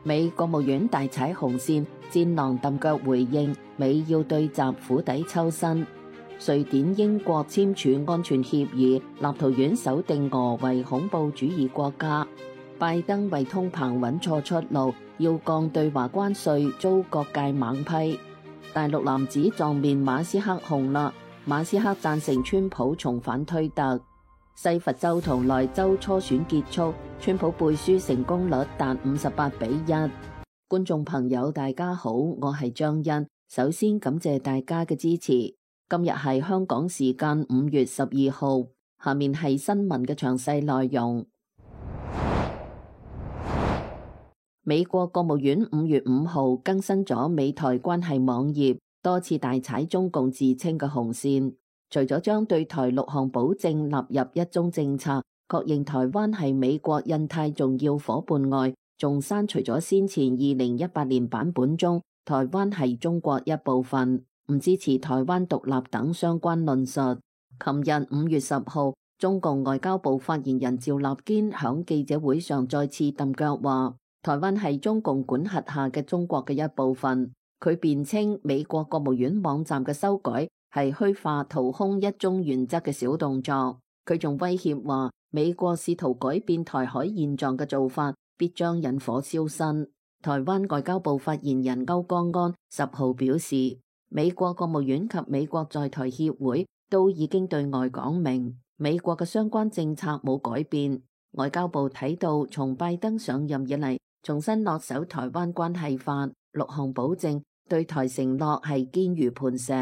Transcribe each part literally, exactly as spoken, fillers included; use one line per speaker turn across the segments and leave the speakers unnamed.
美國務院大踩紅線，戰狼揼腳回應美要對習釜底抽薪。瑞典、英國簽署安全協議，立陶宛首定俄為恐怖主義國家。拜登為通膨揾錯出路，要降對華關稅，遭各界猛批。大陸男子撞面馬斯克紅啦，馬斯克贊成川普重返推特。西佛州同萊州初選結束，川普背書成功率達五十八比一。觀眾朋友大家好，我係張欣，首先感謝大家嘅支持。今日係香港時間五月十二號，下面係新聞嘅詳細內容。美國國務院五月五號更新咗美台關係網頁，多次大踩中共自稱嘅紅線。除咗將對台六項保證納入一中政策，確認台灣係美國印太重要夥伴外，仲刪除咗先前二零一八年版本中台灣係中國一部分，唔支持台灣獨立等相關論述。琴日五月十號，中共外交部發言人趙立堅響記者會上再次揼腳話，台灣係中共管轄下嘅中國嘅一部分。佢辯稱美國國務院網站嘅修改係虛化掏空一中原則嘅小動作。佢仲威脅話，美國試圖改變台海現狀嘅做法，必將引火燒身。台灣外交部發言人歐江安十號表示，美國國務院及美國在台協會都已經對外講明，美國嘅相關政策冇改變。外交部睇到從拜登上任以嚟，重新落手台灣關係法六項保證，對台承諾係堅如磐石。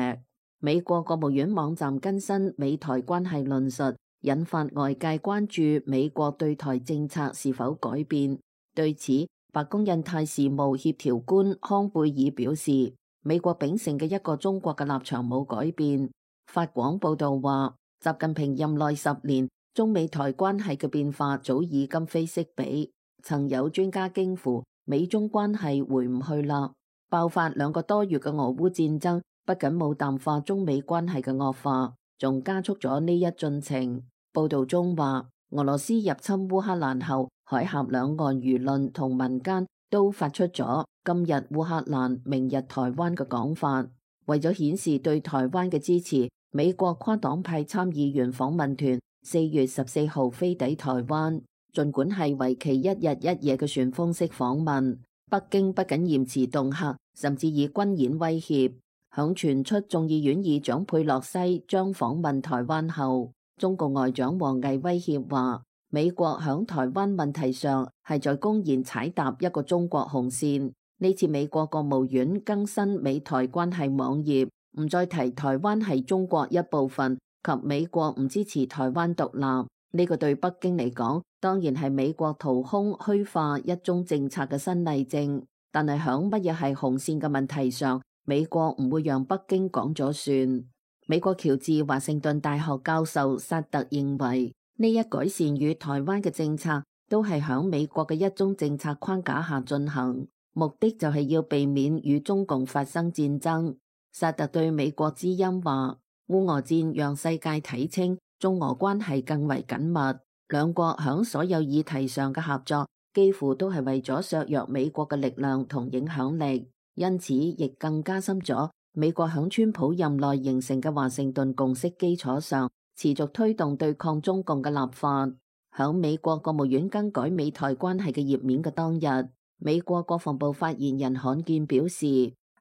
美國國務院網站更新美台關係論述，引發外界關注美國對台政策是否改變。對此，白宮印太事務協調官康貝爾表示，美國秉承嘅一個中國嘅立場冇改變。法廣報道話，習近平任內十年，中美台關係嘅變化早已今非昔比。曾有專家驚呼，美中關係回唔去啦。爆發兩個多月嘅俄烏戰爭，不僅冇淡化中美關係嘅惡化，仲加速咗呢一進程。報道中話，俄羅斯入侵烏克蘭後，海峽兩岸輿論同民間都發出咗今日烏克蘭，明日台灣嘅講法。為咗顯示對台灣嘅支持，美國跨黨派參議員訪問團四月十四號飛抵台灣。儘管係為期一日一夜嘅旋風式訪問，北京不僅嚴詞恫嚇，甚至以軍演威脅。響傳出眾議院議長佩洛西將訪問台灣後，中共外長王毅威脅話，美國響台灣問題上係在公然踩踏一個中國紅線。呢次美國國務院更新美台關係網頁，唔再提台灣係中國一部分及美國唔支持台灣獨立。呢個對北京嚟講，當然係美國掏空虛化一中政策嘅新例證。但係響乜嘢係紅線嘅問題上，美國唔會讓北京講咗算。美國喬治華盛頓大學教授薩特認為，呢一改善與台灣嘅政策都係響美國嘅一中政策框架下進行，目的就係要避免與中共發生戰爭。薩特對美國之音話，烏俄戰讓世界睇清中俄關係更為緊密，兩國響所有議題上嘅合作幾乎都係為咗削弱美國嘅力量同影響力，因此亦更加深咗美國響川普任內形成嘅華盛頓共識基礎上，持續推動對抗中共嘅立法。響美國國務院更改美台關係嘅頁面嘅當日，美國國防部發言人罕見表示，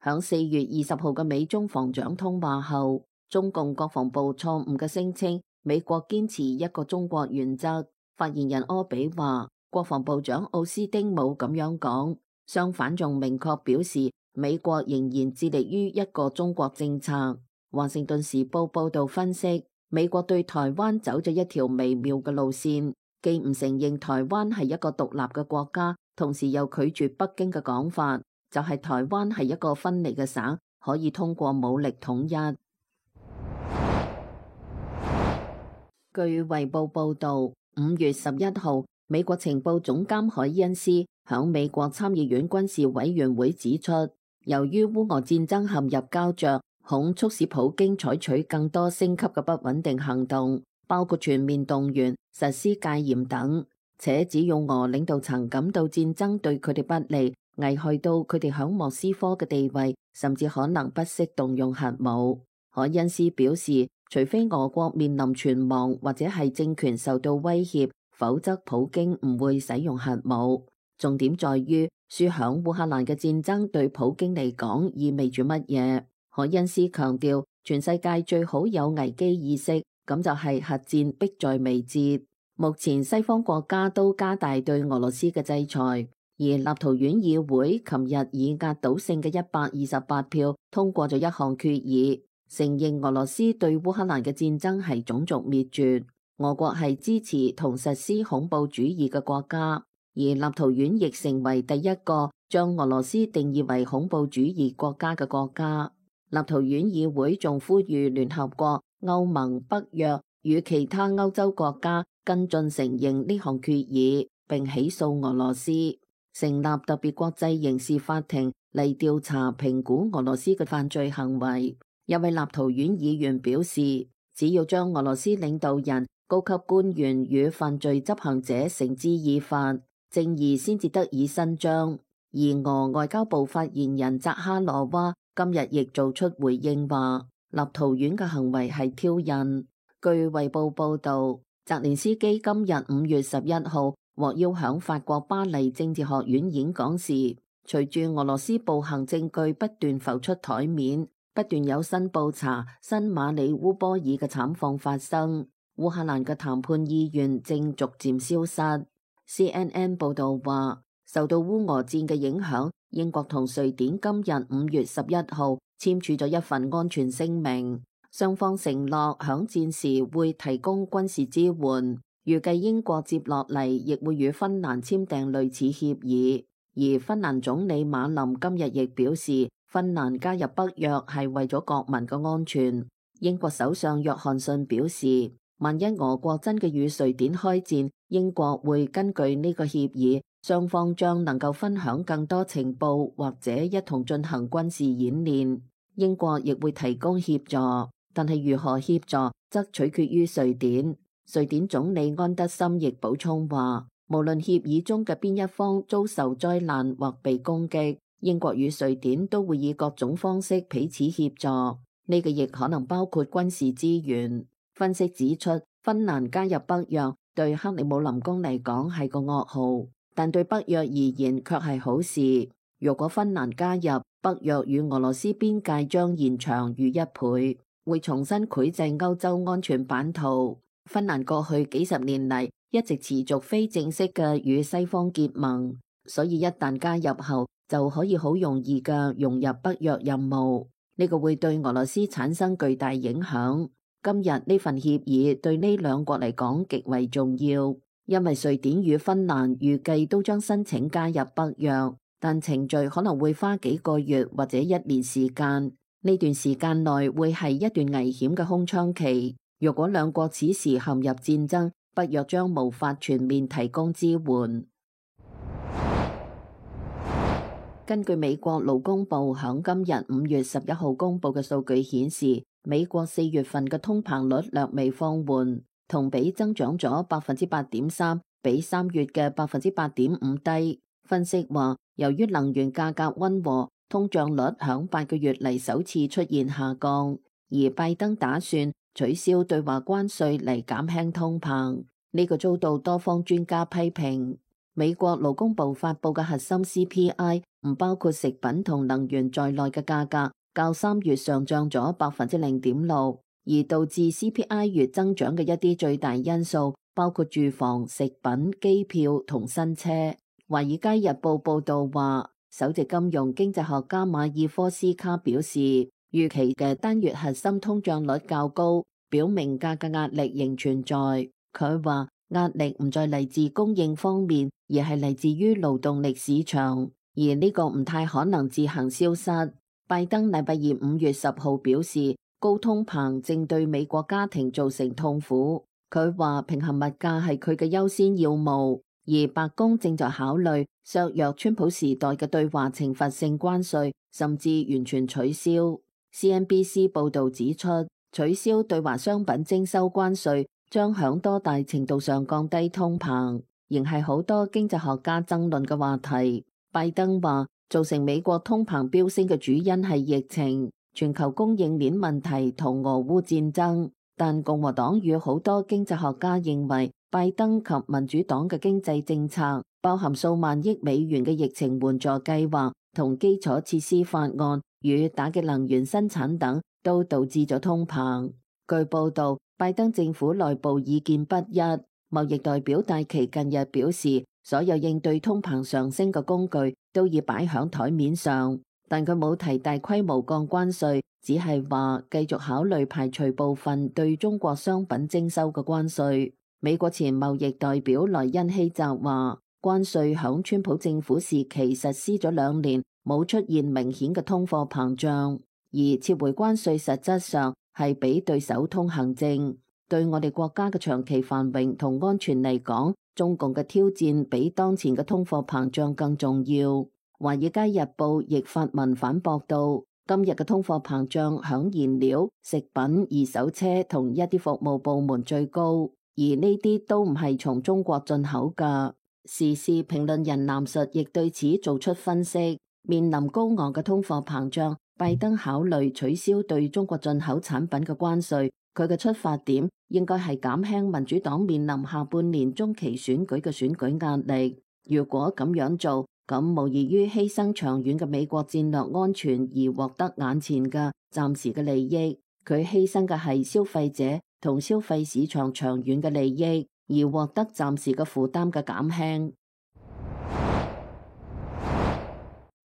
響四月二十號嘅美中防長通話後，中共國防部錯誤嘅聲稱美國堅持一個中國原則。發言人柯比話，國防部長奧斯汀冇咁樣講，相反仲明確表示美國仍然致力於一個中國政策。華盛頓時報報道分析，美國對台灣走咗一條微妙嘅路線，既唔承認台灣係一個獨立嘅國家，同時又拒絕北京嘅講法，就係台灣係一個分離嘅省，可以通過武力統一。據衛報報導，五月十一號，美國情報總監海恩斯響美國參議院軍事委員會指出，由於烏俄戰爭陷入膠着，恐促使普京採取更多升級嘅不穩定行動，包括全面動員、實施戒嚴等，且只要俄領導層感到戰爭對佢哋不利，危害到佢哋響莫斯科嘅地位，甚至可能不惜動用核武。凱恩斯表示，除非俄國面臨存亡或者係政權受到威脅，否則普京唔會使用核武。重點在於輸響烏克蘭嘅戰爭對普京嚟講意味住乜嘢？凱恩斯強調，全世界最好有危機意識，咁就係核戰迫在眉睫。目前西方國家都加大對俄羅斯嘅制裁，而立陶宛議會琴日以壓倒性嘅一百二十八票通過咗一項決議，承認俄羅斯對烏克蘭嘅戰爭係種族滅絕，俄國係支持同實施恐怖主義嘅國家，而立陶宛亦成為第一個將俄羅斯定義為恐怖主義國家嘅國家。立陶宛議會仲呼籲聯合國、歐盟、北約與其他歐洲國家跟進承認呢項決議，並起訴俄羅斯，成立特別國際刑事法庭嚟調查評估俄羅斯嘅犯罪行為。一位立陶宛議員表示，只要將俄羅斯領導人、高級官員與犯罪執行者繩之以法，正義先至得以伸張。而俄外交部發言人扎哈羅娃今日亦做出回應，話立陶宛嘅行為係挑釁。據衛報報道，澤連斯基今日五月十一號獲邀響法國巴黎政治學院演講時，隨住俄羅斯暴行證據不斷浮出台面，不斷有新布查、新馬里烏波爾嘅慘況發生，烏克蘭嘅談判意願正逐漸消失。C N N 報道話，受到烏俄戰嘅影響，英國同瑞典今日五月十一號簽署咗一份安全聲明，雙方承諾響戰時會提供軍事支援，預計英國接落嚟亦會與芬蘭簽訂類似協議。而芬蘭總理馬林今日亦表示，芬蘭加入北約係為咗國民嘅安全。英國首相約翰遜表示，萬一俄國真嘅與瑞典開戰，英國會根據呢個協議，雙方將能夠分享更多情報或者一同進行軍事演練。英國亦會提供協助，但係如何協助則取決於瑞典。瑞典總理安德森亦補充話，無論協議中嘅邊一方遭受災難或被攻擊，英國與瑞典都會以各種方式彼此協助。呢個亦可能包括軍事資源。分析指出，芬蘭加入北約對克里姆林宮嚟講係個噩耗，但對北約而言卻係好事。如果芬蘭加入，北約與俄羅斯邊界將延長逾一倍，會重新繪製歐洲安全版圖。芬蘭過去幾十年嚟一直持續非正式嘅與西方結盟，所以一旦加入後就可以好容易嘅融入北約任務。呢個會對俄羅斯產生巨大影響。今日呢份協議對呢兩國嚟講極為重要，因為瑞典與芬蘭預計都將申請加入北約，但程序可能會花幾個月或者一年時間。呢段時間內會係一段危險嘅空窗期。如果兩國此時陷入戰爭，北約將無法全面提供支援。根據美國勞工部響今日五月十一號公布嘅數據顯示，美國四月份嘅通膨率略微放緩，同比增長咗百分之八點三，比三月嘅百分之八點五低。分析話，由於能源價格溫和，通脹率響八個月嚟首次出現下降，而拜登打算取消對華關稅嚟減輕通膨，呢個遭到多方專家批評。美國勞工部發佈嘅核心 C P I 唔包括食品同能源在內嘅價格，較三月上漲咗百分之零點六，而導致 C P I 月增長嘅一啲最大因素包括住房、食品、機票同新車。華爾街日報報道話，首席金融經濟學家馬爾科斯卡表示，預期嘅單月核心通脹率較高，表明價格壓力仍存在。佢話壓力唔再嚟自供應方面，而係嚟自於勞動力市場，而呢個唔太可能自行消失。拜登禮拜二五月十號表示，高通膨正對美國家庭造成痛苦。佢話平衡物價係佢嘅優先要務，而白宮正在考慮削弱川普時代嘅對華懲罰性關稅，甚至完全取消。C N B C 報導指出，取消對華商品徵收關稅將響多大程度上降低通膨，仍係好多經濟學家爭論嘅話題。拜登話，造成美國通膨飆升嘅主因係疫情、全球供應鏈問題同俄烏戰爭。但共和黨與好多經濟學家認為，拜登及民主黨嘅經濟政策，包含數萬億美元嘅疫情援助計劃同基礎設施法案與打擊能源生產等，都導致咗通膨。據報道，拜登政府內部意見不一。貿易代表戴琪近日表示，所有應對通膨上升嘅工具都已擺響台面上，但佢冇提大規模降關稅，只係話繼續考慮排除部分對中國商品徵收嘅關稅。美國前貿易代表萊恩希澤話，關稅響川普政府時期實施咗兩年，冇出現明顯嘅通貨膨脹，而撤回關稅實質上係俾對手通行證。對我哋國家嘅長期繁榮同安全嚟講，中共嘅挑戰比當前嘅通貨膨脹更重要。華爾街日報亦發文反駁到，今日嘅通貨膨脹響燃料、食品、二手車同一啲服務部門最高，而呢啲都唔係從中國進口㗎。時事評論人藍述亦對此做出分析，面臨高昂嘅通貨膨脹，拜登考慮取消對中國進口產品嘅關稅。佢嘅出發點應該係減輕民主黨面臨下半年中期選舉嘅選舉壓力。如果咁樣做，咁無異於犧牲長遠嘅美國戰略安全而獲得眼前嘅暫時嘅利益。佢犧牲嘅係消費者同消費市場長遠嘅利益，而獲得暫時嘅負擔嘅減輕。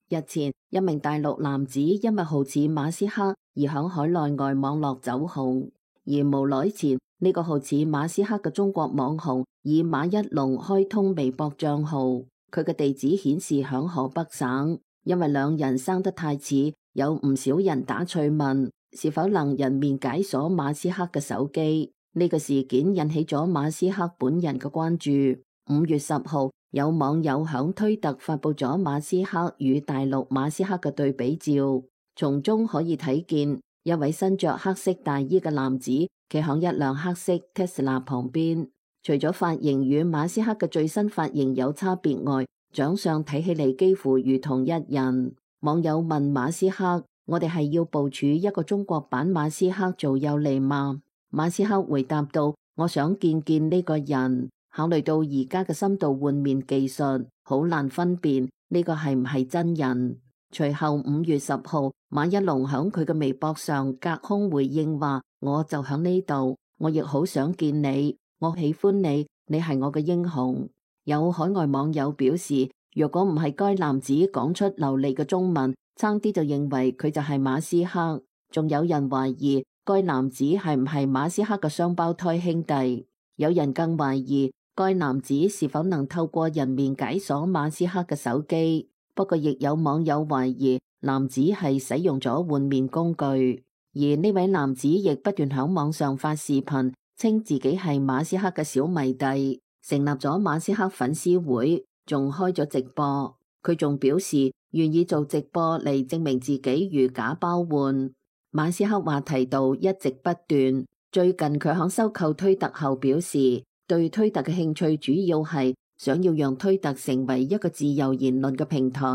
日前，一名大陸男子因為好似馬斯克而響海內外網絡走紅。而無耐前，呢、這個好似馬斯克嘅中國網紅以馬一龍開通微博賬號，佢嘅地址顯示響河北省。因為兩人生得太似，有唔少人打趣問是否能人面解鎖馬斯克嘅手機。呢、這個事件引起咗馬斯克本人嘅關注。五月十號，有網友響推特發佈咗馬斯克與大陸馬斯克嘅對比照，從中可以睇見一位身着黑色大衣嘅男子企響一輛黑色 Tesla 旁邊。除咗髮型與馬斯克嘅最新髮型有差別外，長相睇起嚟幾乎如同一人。網友問馬斯克：我哋係要部署一個中國版馬斯克做有利嗎？馬斯克回答道：我想見見呢個人。考慮到而家嘅深度換面技術，好難分辨呢個係唔係真人。隨後五月十號，馬一龍響佢嘅微博上隔空回應話：我就響呢度，我亦好想見你，我喜歡你，你係我嘅英雄。有海外網友表示，若果唔係該男子講出流利嘅中文，差啲就認為佢就係馬斯克。仲有人懷疑該男子係唔係馬斯克嘅雙胞胎兄弟。有人更懷疑該男子是否能透過人面解鎖馬斯克嘅手機。不過，亦有網友懷疑男子係使用咗換面工具，而呢位男子亦不斷響網上發視頻，稱自己係馬斯克嘅小迷弟，成立咗馬斯克粉絲會，仲開咗直播。佢仲表示願意做直播嚟證明自己如假包換。馬斯克話題度一直不斷，最近佢響收購推特後表示，對推特嘅興趣主要係想要讓推特成為一個自由言論嘅平台。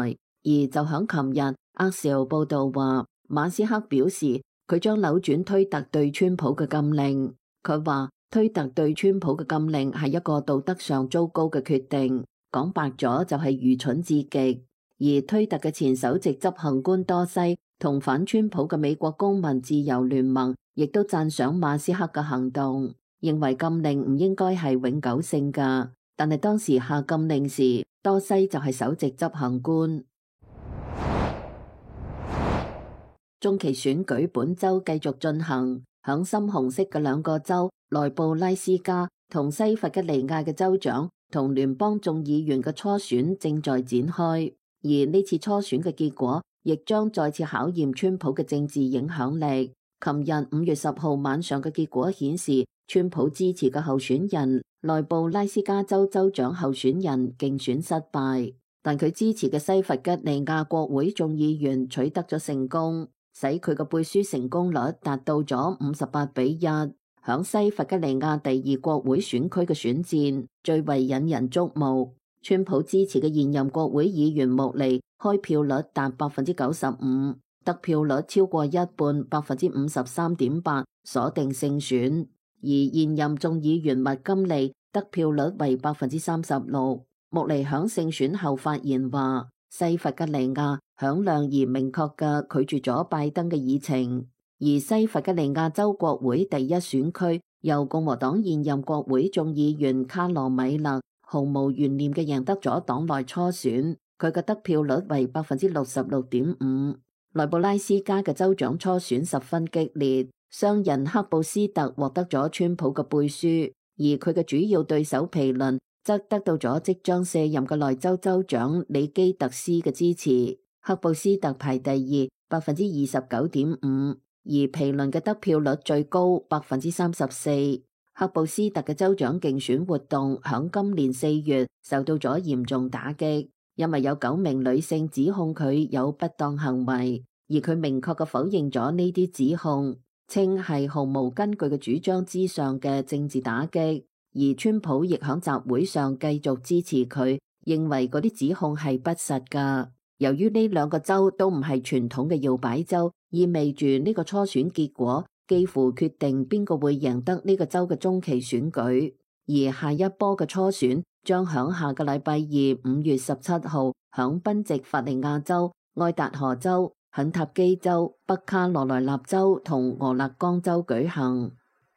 而就響琴日，阿兆報道話，馬斯克表示佢將扭轉推特對川普嘅禁令。佢話推特對川普嘅禁令係一個道德上糟糕嘅決定，講白咗就係愚蠢至極。而推特嘅前首席執行官多西同反川普嘅美國公民自由聯盟亦都讚賞馬斯克嘅行動，認為禁令唔應該係永久性㗎。但係當時下禁令時，多西就係首席執行官。中期選舉本週繼續進行，響深紅色嘅兩個州內布拉斯加同西弗吉尼亞嘅州長同聯邦眾議員嘅初選正在展開，而呢次初選嘅結果亦將再次考驗川普嘅政治影響力。琴日五月十號晚上嘅結果顯示，川普支持嘅候選人內布拉斯加州州長候選人競選失敗，但佢支持嘅西弗吉尼亞國會眾議員取得咗成功，使佢嘅背書成功率達到咗五十八比一。響西弗吉尼亞第二國會選區嘅選戰最為引人矚目，川普支持嘅現任國會議員穆尼開票率達百分之九十五，得票率超過一半，百分之五十三點八，鎖定勝選。而現任眾議員麥金利得票率為百分之三十六。穆尼響勝選後發言話，西弗吉尼亞響亮而明確嘅拒絕咗拜登嘅議程，而西弗吉尼亞州國會第一選區由共和黨現任國會眾議員卡羅米勒毫無懸念嘅贏得咗黨內初選，佢嘅得票率為百分之六十六點五。內布拉斯加嘅州長初選十分激烈，商人克布斯特獲得咗川普嘅背書，而佢嘅主要對手皮倫則得到咗即將卸任嘅內州州長里基特斯嘅支持。克布斯特排第二，百分之二十九點五，而皮倫嘅得票率最高，百分之三十四。克布斯特嘅州長競選活動響今年四月受到咗嚴重打擊，因為有九名女性指控佢有不當行為，而佢明確嘅否認咗呢啲指控，稱係毫無根據嘅主張之上嘅政治打擊。而川普亦響集會上繼續支持佢，認為嗰啲指控係不實噶。由於呢兩個州都唔係傳統嘅搖擺州，意味住呢個初選結果幾乎決定邊個會贏得呢個州嘅中期選舉，而下一波嘅初選將響下個禮拜二五月十七號響賓夕法尼亞州、愛達荷州、肯塔基州、北卡羅來納州同俄勒岡州舉行。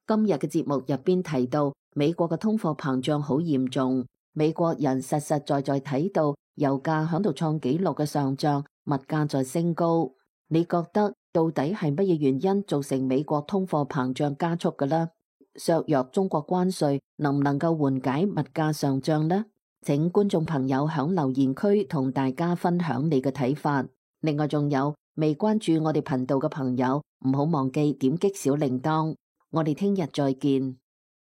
今日嘅節目入邊提到，美國嘅通貨膨脹好嚴重，美國人實實在在睇到油價響度創紀錄嘅上漲，物價在升高。你覺得到底係乜嘢原因造成美國通貨膨脹加速嘅呢？削弱中國關稅能唔能夠緩解物價上漲呢？請觀眾朋友響留言區同大家分享你嘅睇法。另外仲有未關注我哋頻道嘅朋友，唔好忘記點擊小鈴鐺。我哋聽日再見。